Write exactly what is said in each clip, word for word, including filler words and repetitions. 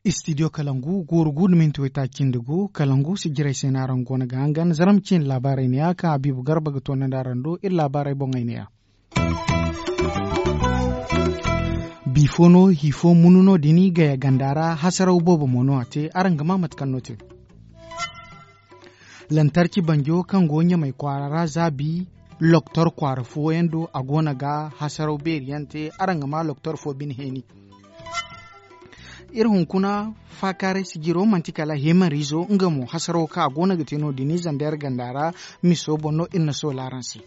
Istidiyo kalangu gooru gu nda minti waytaaci cindi gu kalangu si jiray se no araŋ go no ga hangan zarma ciine laabaarey ne- ya kaŋ habiibu garba ga toonandi araŋ do iri laabaarey boŋey ne- ya. Bifo no hifo munu no- din gaya ganda ra hasaraw boobo mo no a te araŋ ga maa mate kaŋ no te. Lantarki banjo kaŋ go ɲamay kwaara ra zaabi loktor kwaara fooyaŋ do a go no ga hasaraw beeri yaŋ te. Araŋ ga maa loktor fo bine heeni. Iri hunkuna faakaaray sijiro manti kala heemariizo nga mo hasaraw kaŋ a go no ga te no- din zandeer ganda ra. Miso boŋ no iri na soola araŋ se.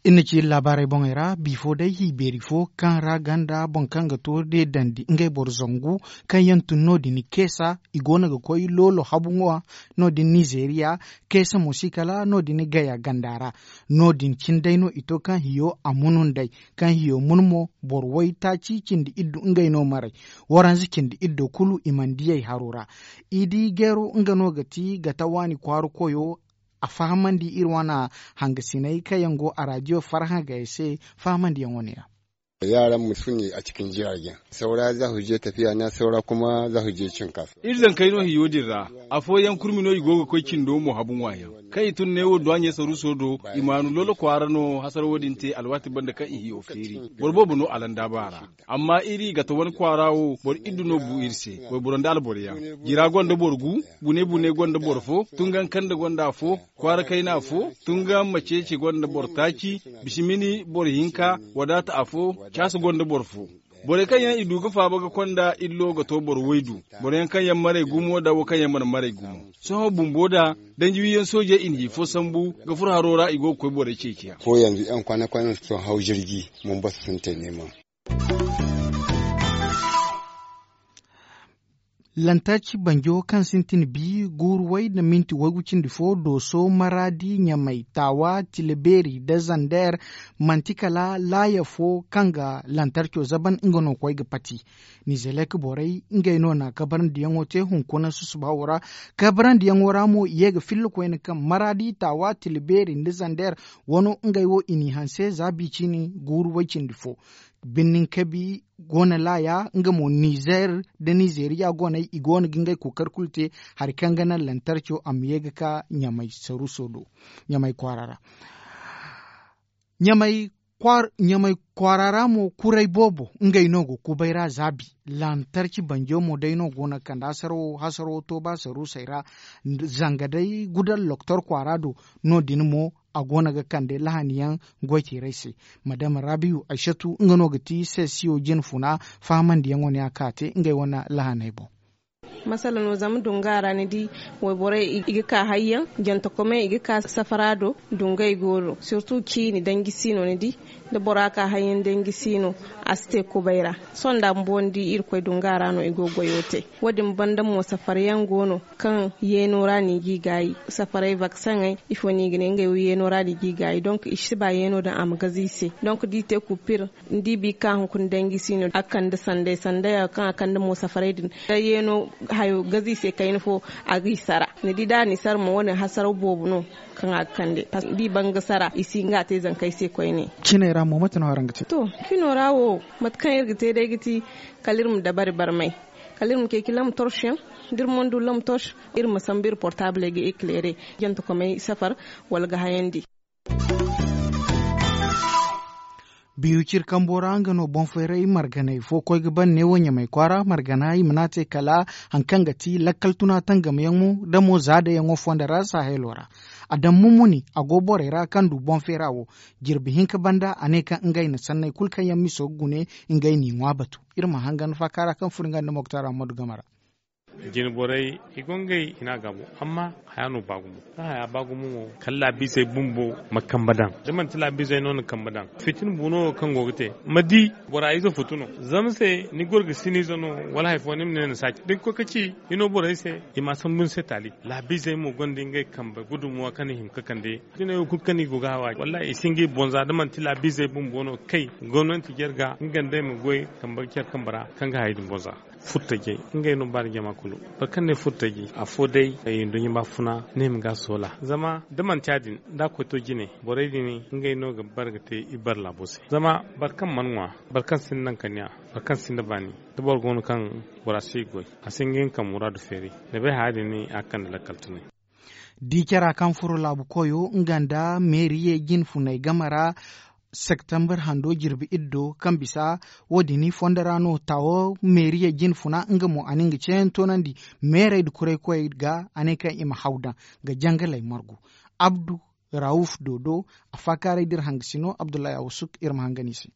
Iri na ci iri laabaarey boŋey ra bifo day hi beeri fo kaŋ ra ganda boŋ kaŋ ga toori day dandi ngey boro zangu kaŋ yaŋ tun no- din keesa i go no ga koy loolo habu ŋwa no- din nizeeriya. Keesa mo si kala no- din gaya ganda ra. No- din cine day no i to kaŋ hiyo a munun day kaŋ hiyo mun mo boro waytaaci cindi iddu ngey no maray. Waranza cindi iddo kulu i mana diyey haro ra. Idi geero nga no ga ti gata waani kwaara koyo. A fahamandi iri wane hangasiney kaŋ yaŋ go a raadiyo farhã gay se fahamandiyaŋo ne- ya. Yaran mu su ne a cikin jiragen saura za su je tafiya na saura kuma za su je cin kasuwa. Iri zankey no hiyo din ra. Afooyaŋ kurmi no i go ga koy cindo mo habu ŋwaayaŋ kaŋ i tun neewo duwaaɲey saruuso do. I maanu lolo kwaara no hasarawo din te alwaati banda kaŋ i hiyo feeri. Boro boobo no alandaaba ra. Amma iri gata wane kwaara wo boro iddu no bu iri se. Wayboro nda alboroyaŋ jira gonda boro gu. Bune bune gonda boro fo. Tungan kande gonda afo. Kwaara kayna afo. Tungan maceece gonda boro taaci. Bisimini boro hinka. Wadaata afo. Caasa gonda boro fo. Borey kaŋ yaŋ i du ga faaba ga konda illo ga to boro waydu. Boro yaŋ kaŋ yaŋ maray gumo da wo kaŋ yaŋ mana maray gumo. Sohõ bumbo da danji wiyaŋ soojey i na hi fo sambu ga furo haro ra i go ga koy borey ceeciya. Ko yanzu yaŋ kwana kwana sohõ haw jirgi. Mun basa sun te neema. Lantarki banjo kaŋ sintin bi guuru way nda minti waygu cindi fo dooso maraadi ɲamay taawa tilabeeri nda zander. Manti kala laaya fo kaŋ ga lantarco zaban nga no koy ga pati. Nizelek borey ngey no na kabarandiyaŋo te hunkuna susuba wo ra. Kabarandiyaŋo ra mo i ye ga filla koyne kaŋ maraadi taawa tilabeeri nda zander wano ngey wo i n'i hanse za biiciini guuru way cindi fo. Birnin kabi go no laaya nga mo nizer nda nizeriya go no i go no ga ngey kookari kulu te. Hari kaŋ ga naŋ lantarco a ma ye ga ka ɲamay saruuso do ɲamay kwaara ra. Ɲamay kwaara ra mo kuray boobo ngey no go kubay ra zaabi. Lantarki banjo mo day no go no ga kande hasaro hasaro tooba saruusey ra. Zanga day gudal loktor kwaara do no- din mo a go no ga kande lahani yaŋ goy teeray se. Madama rabiyu aysatu nga no ga ti sesiyo jine funa fahamandiyaŋo ne a ka te ngey wane lahaney boŋ. Masala no zama dunga ra ni di wayborey i ga ka hayyaŋ jantakomey i ga ka safara do. Dungey go no sirtu ciini danji si no ni di da bora ka hayyaŋ danji si no. A si te kubay ra sohõ nda bumbo ni di irkoy dunga ra no i go ga goyo te. Wo- din banda mo safara yaŋ go no kaŋ yeeno ra no i g'i gaayi. Safaray vakseŋey ifo no i ga ne ngey wo yeeno ra no i g'i gaayi donk i si ba yeeno daŋ a ma gaze i se. Donk da i te kupir ni di bi ka hunkuna danji si no a ga kande sanday sanday kaŋ a kande mo safaray din da yeeno hayo gaze i se kayna fo. A g'i sara ni di da a n'i sara mo wo- din hasaraw boobo no kaŋ a ga kande. Paske da i ban ga sara i si nga te zankey se koyne. Ciney ra mo mate no araŋ ga te? To cino ra wo mate kaŋ iri ga te day ga ti kala iri ma dabari barmay. Kala iri ma ceeci lamtorsh yaŋ da iri mana du lamtorsh iri ma sambu iri portabley ga ekleere jantakomey safar wala ga hayandi. Biyu ciri kambo ra nga no boŋ fayray marganay fo koy ga ban neewo ɲamay kwaara margana i mana te kala hari kaŋ ga ti lakkal tuna tangam yaŋo da mo zaada yaŋo fonda ra sahelo ra. A daŋ mumuni a go borey ra kaŋ du boŋ fayra wo. Jirbi hinka banda a ne kaŋ ngey na sanney kulu kaŋ yaŋ miso ga gune ngey n'i ŋwa batu. Iri ma hangan faaka ra kaŋ furo nga nda moktar ammadu game ra. Jine borey i go ngey hina gaabo amma haya no ba gumo da haya ba gumo mo kala laabiizey bumbo ma kambe daŋ da manti laabiizey no na kambe daŋ. Fitina bu no kaŋ go ga te ma di bora ize futu no zama se ni goro ga siniize no wala hari fo ni ma ne na saaci da ni koy ka ci hino borey se. I ma sambu ni se taali laabiizey mo gonda ngey kambe gudumuwa kaŋ i hima ga kande. Fitina yaŋ kulu kaŋ i go ga hawa wallahi i si ngey bonza da manti laabiizey bumbo no ga kay gomnanti jarga nga nd'ey ma goy kambe care kambe ra kaŋ ga hayey din bonza. Furtajey, ngey no baani jama kulu. Boro kaŋ ne furtaji afo day, nduɲɲa baafuna ne ma ga soola. Zama da manti ya- din da a koy to jine, borey din ngey no ga bare ga te i bare laabo se. Zama boro kaŋ mana ŋwa, boro kaŋ sinda nankaniya, boro kaŋ sinda baani, da boro go no kaŋ bora si goy, a si hin ga hin ka muraadu feeri. Da bay haya din a ga kande lakkal tunay. Di cara kaŋ furo laabu koyo nga nda meeriyey jine funay game ra, septembre hando jirbi iddo kaŋ bisa, wo- din fondo ra no taawo meeriyey jine funa nga mo a na nga ceeyaŋ toonandi. Meerey nda kuraykoyey ga a ne kaŋ i ma haw daŋ ga jangaley margu. Abdu rawuf dodo, a faakaaray da iri hangasino abdullahi awsuk iri ma hangan i se.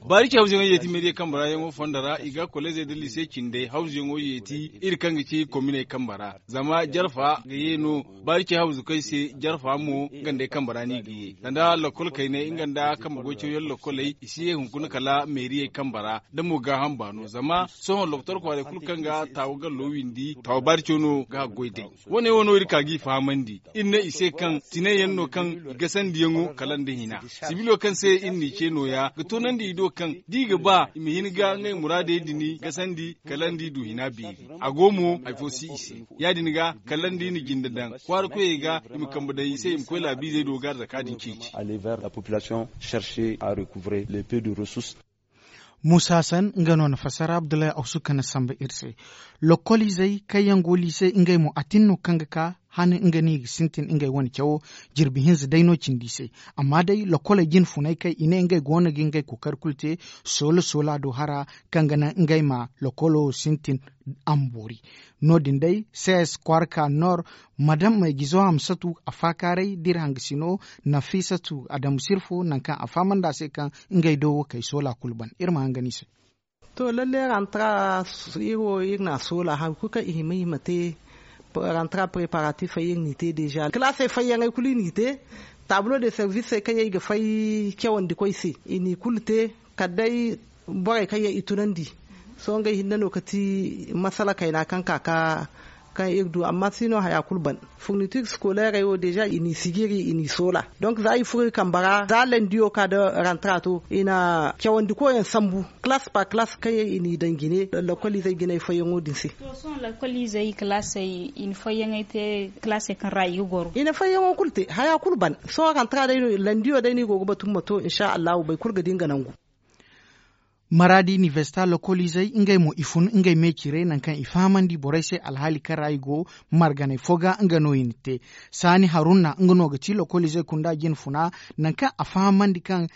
Baari ci hawzuyaŋo yeeti meediya kambe ra yaŋo fondo ra i ga kolleezey nda liise cindey hawzuyaŋo yeeti iri kaŋ ga ci kominey kambe ra. Zama jarfa ga ye no baari ci hawzukey se, jarfa mo gandey kambe ra no i ga ye. Sanda lakkol kayney nga nda kambe goy cawyaŋ lakkoley i si ye hunkuna kala meeriyey kambe ra. Da mo gaaham baano zama sohõ lokotor kwaarey kulu kaŋ ga taawa gallo windi taawa baari caw no ga haggoy day. Wo- ne wo no iri ka g'i fahamandi. Iri ne i se kaŋ tine yaŋ no kaŋ i gasandiyaŋo kala nda hina. Sibilo kaŋ se iri n'i ce nooya ga toonandi i do kaŋ da i ga ba i ma hin ga ngey muraadey din gasandi kala nda i du hina beeri. A go mo hari fo si i se. Ya- din ga kala nda i na jinde daŋ kwaara koyey ga i ma kambe daŋ i se i ma koy laabiizey do ga arzaka din ceeci. Aller vers la population chercher à recouvrer les peu de ressources. Muusa hasan nga no na fassara abdullahi awsu kaŋ na samba iri se. Lokkoliizey kaŋ yaŋ go liise ngey mo a tin no kaŋ ga ka han nga no i ga sintin ngey wane cawo. Jirbi hinza day no cindi i se. Amma day lokkoley jine funay kaŋ i ne ngey go no ga ngey kookari kulu te soola soola do hara kaŋ ga naŋ ngey ma lokkolo sintin a ma boori. No- din day ces kwaara ka nor madam maygizo hamsatu a faakaaray da iri hangasino nafisatu adamu sirfo nangu kaŋ a fahamandi a se kaŋ ngey do wo kay soola kulu ban iri ma hangan i se. To lalle rantara iri wo iri na a soola hari kulu kaŋ i hima i ma te. Rantara preparatifey iri n'i te deeza kalaasey fayyaŋey kulu i n'i te. Taablo de servisey kaŋ yaŋ i ga fay cawandi koy se i n'i kulu te. Kala day borey kaŋ yaŋ i tunandi. Sohõ ngey hinne no ga ti masala kayna kaŋ ka ka kaŋ iri du amma si no haya kulu ban. Furnitir sikoleerey wo deeza i n'i sijiri i n'i soola. Donk za i furo i kambe ra za landiyo ka nda rantara to i na cawandi koyaŋ sambu kalaas par kalaas kaŋ yaŋ i n'i daŋ jine. Lakkoliizey jinay fayyaŋo din se. To sohõ lakkoliizey kalaasey i na fayyaŋey te kalaasey kaŋ ra i ga goro. I na fayyaŋo kulu te haya kulu ban. Sohõ rantara day no landiyo day no i go ga batu ma to insa allahu boro kulu ga di nga nangu. Maraadi inibersita lokoliizey ngey mo i fun ngey me cire nangu kaŋ i fahamandi borey se alhaali kaŋ ra i go. Marganey fo ga nga no i na te. Saani harunna nga no ga ti lokoliizey kunda jine funa nangu kaŋ a fahamandi kaŋ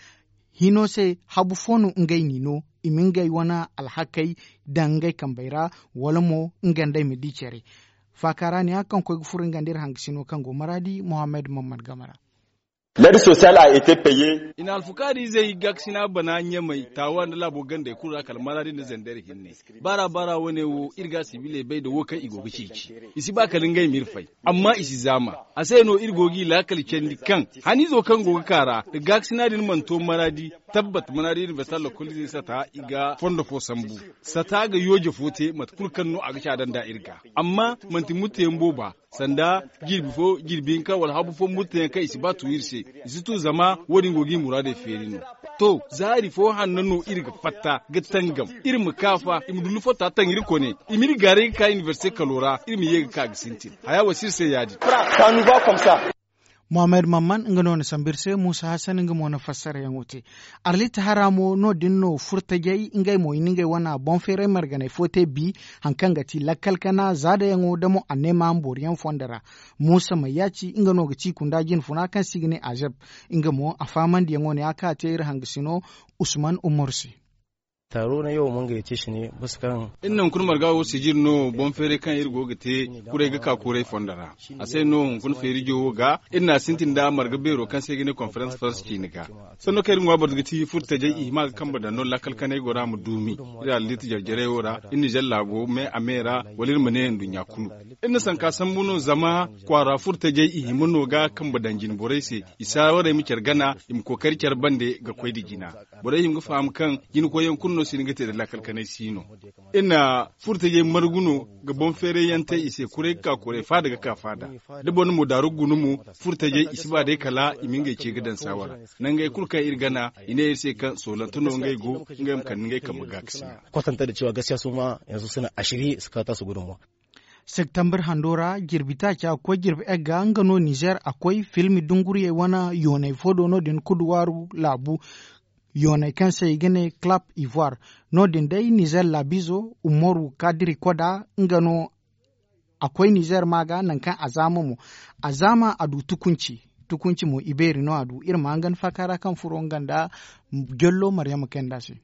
hino se habu fo no ngey n'i no. I ma ngey wane alhakey daŋ ngey kambey ra wala mo nga nd'ey ma di care. Faaka ra ne ya kaŋ koy ga furo nga nda iri hangasino kaŋ go maraadi mohammed mammad game ra. L'aide sociale a été payée. I na alfukaari izey gaakasina bana ɲamay taawa nda laabo gandey kulu ra kala maraadi nda zandar hinne. Baara baara wane wo iri ga sibiley bay nda wo kaŋ i go ga ceeci. I si ba kala ngey ma iri fay. Amma i si zaama. A se no iri go g'i laakal candi kaŋ haniizo kaŋ go ga ka ra nda gaakasina din mana to maraadi. Tabbat maraadi inibersita lokoliizey sata i ga fondo fo sambu. Sata ga yooje fo te mate kulu kaŋ no a ga caada nd'a iri ga. Amma manti mutteyaŋ booba. Sanda jirbi fo jirbi hinka wala habu fo murtayaŋ kaŋ i si ba tu iri se. I si tu zama wo- din go ga i muraadey feeri no. To zaari fo hanno no iri ga fatta ga tangam iri ma ka fa i ma dullu fatta taŋ iri kone. I m'iri gaaray ga ka inibersite kalo ra iri ma ye ga ka ga sintin haya wo si iri se ya- din. Mohammed mamman nga no na sambu iri se muusa hasan nga mo na fassarayaŋo te. Arlit hara mo no- din no furtajey ngey mo i na ngey wane boŋ feeray marganey fo te bi. Hari kaŋ ga ti lakkal kana zaadayaŋo da mo anneema ma booriyaŋ fondo ra. Muusa mayyaaci nga no ga ci kunda jine funa kaŋ se i ga ne azeb. Nga mo a fahamandiyaŋo ne ya kaŋ a te iri hangasino usman umaru se. Taaro na yaw mo ngey te si ne basa kaŋ iri na hunkuna marga wo sijir no boŋ feeray kaŋ iri go ga te. Kuray ga ka kuray fondo ra. A se no hunkuna feerijo wo ga iri na a sintin nda marga beero kaŋ se i ga ne konferans farans ciini ga. Sanno kaŋ iri ŋwa boro ga ti furtajey i hima ga kambe daŋ no lakkal kanay gora ma duumi. Iri alliiti jarjarey wo ra iri na zalla go me a me ra wala iri ma ne nduɲɲa kulu. Iri na sanka sambu no zama kwaara furtajey i hima no ga kambe daŋ jine borey se. I saawarey ma care gana i ma kookari care bande ga koy nda jina. Borey hima ga faham kaŋ jina koyyaŋ kulu. Wo si hin ga te nda laakal kanay si no. Iri na furtajey margu no ga boŋ feeray yaŋ te i se kuray ga ka kuray faada ga ka faada. Da boro na mo daaru guna mo, furtajey i si ba day kala i ma ngey ce ga daŋ saawa ra. Nangey kulu kaŋ iri gana, i ne iri se kaŋ soolante no ngey go, ngey ma kande ngey kambe gaakasina. Kwatanta da cewa gaskiya su ma yanzu suna ashiri su kata su gudun mo. Septembre hando ra jirbi taaca ga koy jirbi egga nga no nizer a koy filmi dunguriyey wane yoonay fo do no- din kuduwaaru laabu. Yoonay kaŋ se i ga ne club ivoire. No- din day nizer laabizo umaru kadiri koda nga no a koy nizer ma ga nangu kaŋ a zaama mo. A zaama a du tukunci. Tukunci mo i beeri no a du iri ma hangan faaka ra kaŋ furo nga nda jollo maryama kayanda se.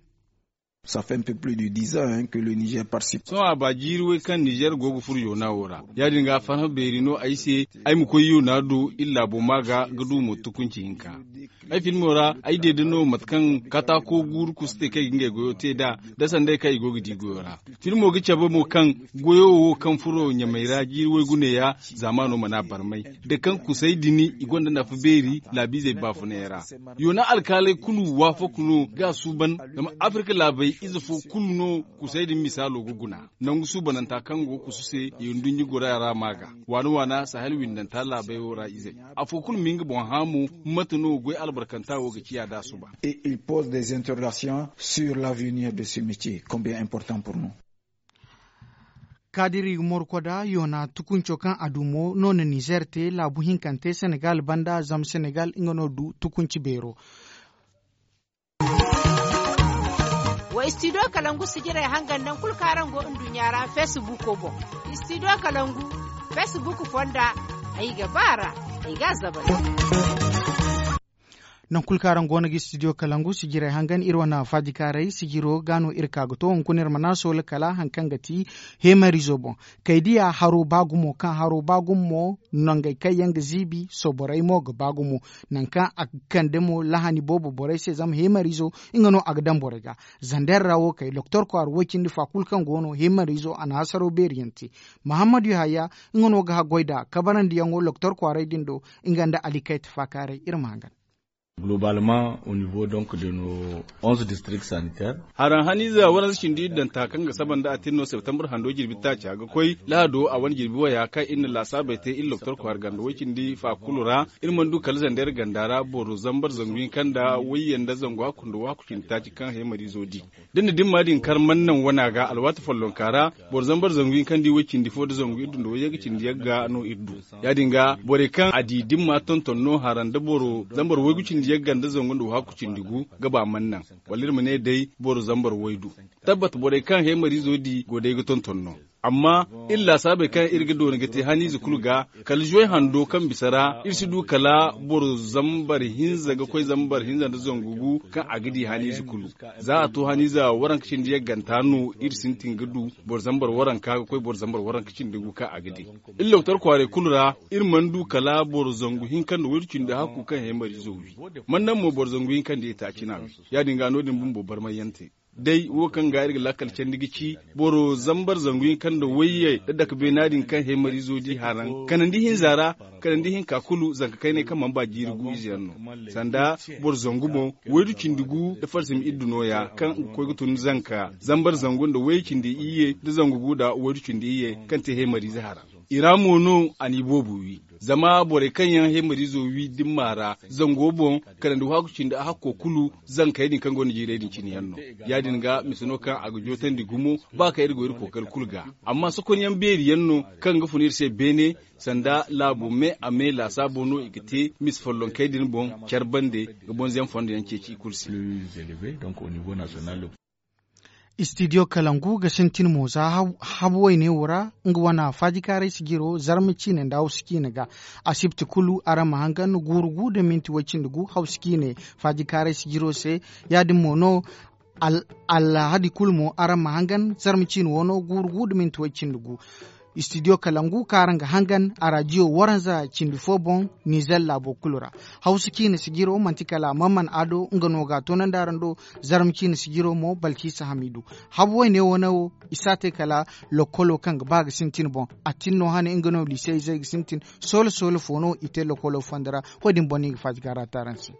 Sohõ a ba jiiri way kaŋ nizer go ga furo yoona wo ra. Ya- din ga a farhã beeri no ay se ay ma koy yoona do iri laabo ma ga ga du mo tukunci hinka. Ay filmo ra ay deeda no mate kaŋ kataako guuru kusu te kaŋ i ga ngey goyo te nd'a, da sanday kaŋ i go ga di goyo ra. Filmo ga cabe mo kaŋ goyo wo kaŋ furo ɲamey ra jiiri waygu neeya zaamaano mana barmay. Da kaŋ kusay din i gonda nafa beeri laabiizey baafunay ra. Yoona alkaaley kulu waafak no ga a suuban. Zama afirka laabey ize fo kulu no kusay din misaalo ga guna. Nangu suubananta kaŋ go ga kusu se i nduɲɲi gora ra ma ga waana waana sahel windanta laabey wo ra izey. Afo kulu ma hin ga boŋ hã mo mate no goy albarkanta wo ga ciya da a suba. Et il pose des interrogations sur l'avenir de ce métier combien important pour nous. Kaadiri morkoda yoona tukunco kaŋ a du mo no na nizer te laabu hinkante senegal banda zama senegal nga no du tukunci beero. Wa studio kalangu sijirey hangan naŋ kulu kaŋ araŋ go nduɲɲa ra facebook boŋ. Studio kalangu facebook fonda ay ga ba ra ay ga a zabay. Naŋ kulu kaŋ araŋ go no ga studio kalangu sijirey hangan iri wane faajikaaray sijiro ga no iri ka ga to hunkuna iri mana soola kala hari kaŋ ga ti heemarizo boŋ. Kay diya haro ba gumo kaŋ haro ba gumo mo nangey kaŋ yaŋ ga ziibi soborey mo ga ba gumo. Nangu kaŋ a ga kande mo lahani boobo borey se zama heemarizo nga no a ga daŋ borey ga. Zander ra wo kay doktor kwaara way cindi fa kulu kaŋ go no heemarizo a na hasaro beeri yaŋ te. Mahammadu yahaya nga no ga haggoy nd'a kabarandiyaŋo doktor kwaaray din do. Nga nda ali kayta faakaaray iri ma hangan. Globalement au niveau donc de nos onze districts sanitaires. Haraŋ haniize waranza cindi iri daŋ ta kaŋ ga saba nda a tin no septembre hando jirbi taaca ga koy lahado a wane jirbi waya kaŋ iri na laasaabey te iri doktor kwaara ganda way cindi fa kulu ra. Iri mana du kala zander ganda ra boro zambar zangu hinka nda wayye nda zangu hakku nda wahakku cindi taaci kaŋ heemariizo di. Da ni na dimma din kar mana naŋ wana ga alwaati follonka ra boro zambar zangu hinka nda way cindi fo nda zangu iri du nda wayye ga cindi yagga no iri du. Ya- din ga borey kaŋ a di dimma tonton no haraŋ nda boro zambar waygu cindi yagga nda zangu nda wahakku cindi gu ga ba mana naŋ. Wala iri ma ne day boro zambar waydu. Tabbat borey kaŋ heemariizo di go day ga tonton no. Amma iri laasaabey kaŋ iri ga doona ga te haniize kulu ga kala zuway hando kaŋ bisa ra iri si du kala boro zambar hinza ga koy zambar hinza nda zangu gu kaŋ a ga di haniize kulu. Za a to haniize waranka cindi yagganta no iri sintin ga du boro zambar waranka ga koy boro zambar waranka cindi gu kaŋ a ga di. Iri doktor kwaaray kulu ra iri mana du kala boro zangu hinka nda waydu cindi hakku kaŋ heemariizo wi. Mana naŋ mo boro zangu hinka nda itaaci no a wi. Ya- din ga no- din bumbo barmay yaŋ te. Day wo kaŋ ga iri ga lakkal candi ga ci boro zambar zangu hinka nda wayye da dake beena din kaŋ heemariizo di haraŋ kanandi hinza ra. Kanandi hinka kulu zanka kaynay kaŋ mana ba jiiri gu ize yaŋ no. Sanda boro zangu boŋ waydu cindi gu nda farsim iddu nooya kaŋ ga koy ga tun zanka zambar zangu nda wayye cindi iyye nda zangu gu nda waydu cindi iyye kaŋ te heemariize haraŋ. I ra mo no a n'i boobo wi. Zama borey kaŋ yaŋ heemariizo wi dimma ra zango boŋ kanandi wahakku cindi a hakko kulu zankey din kaŋ go no jiirey din cine yaŋ no. Ya- din ga mise no kaŋ a ga jootandi gumo ba kaŋ iri go iri kookari kulu ga. Amma sokonyaŋ beeri yaŋ no kaŋ ga fun iri se beene sanda laabo me a me laasaabo no i ga te mise follonkey din boŋ care bande ga bonzeyaŋ fondo yaŋ ceeci i kulu se. Studio kalangu ga sintin mo za habu wayne wo ra nga wane faajikaaray sijiro zarma ciine nda hawsu ciine ga. Asibti kulu araŋ ma hangan guuru gu nda minti way cindi gu hawsu ciine faajikaaray sijiro se. Ya- din mo no alhadi kulu mo araŋ ma hangan zarma ciine wo no guuru gu nda minti way cindi gu. Studio kalangu kaŋ araŋ ga hangan a raadiyo waranza cindi fo boŋ nizer laabo kulu ra. Hawsu ciine sijiro manti kala mamman ado nga no ga a toonandi araŋ do. Zarma ciine sijiro mo balkisa hamidu. Habu wayne wane wo i si a te kala lokolo kaŋ ga ba ga sintin boŋ. A tin no hane nga no liisey izey ga sintin soola soola fo no i te lokolo fondo ra. Wo- din boŋ no i ga faati ga raata araŋ se.